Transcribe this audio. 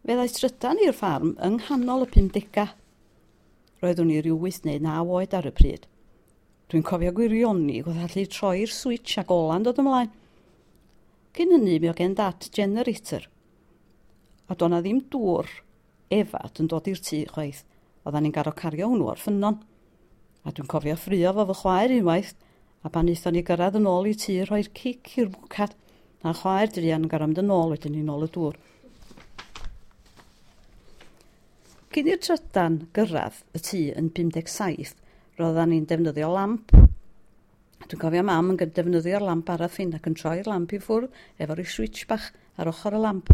Fe ddaeth trydan i'r ffarm yng nghanol y 50au. Roeddwn i ryw 8 neu 9 oed ar y pryd. Dwi'n cofio gwirioni wrth allu troi'r switch ac ola'n dod ymlaen. Cyn hynny mi oedd gen Dad generator. A do' 'na ddim dŵr efad yn dod i'r tŷ chwaith. Oeddan ni'n gorfod cario hwnnw o'r ffynnon. A dwi'n cofio ffrio fo fy chwaer unwaith, a pan aethon ni gyrraedd yn ôl i tŷ rhoi'r cic i'r bwcad, a'n chwaer druan yn gorfod mynd yn ôl wedyn i nôl y dŵr. Cyn i'r trydan gyrraedd y tŷ yn 57, roeddan ni'n defnyddio lamp. Dwi'n cofio Mam yn defnyddio'r lamp paraffin ac yn troi'r lamp i ffwrdd efo'r switch bach ar ochr y lamp.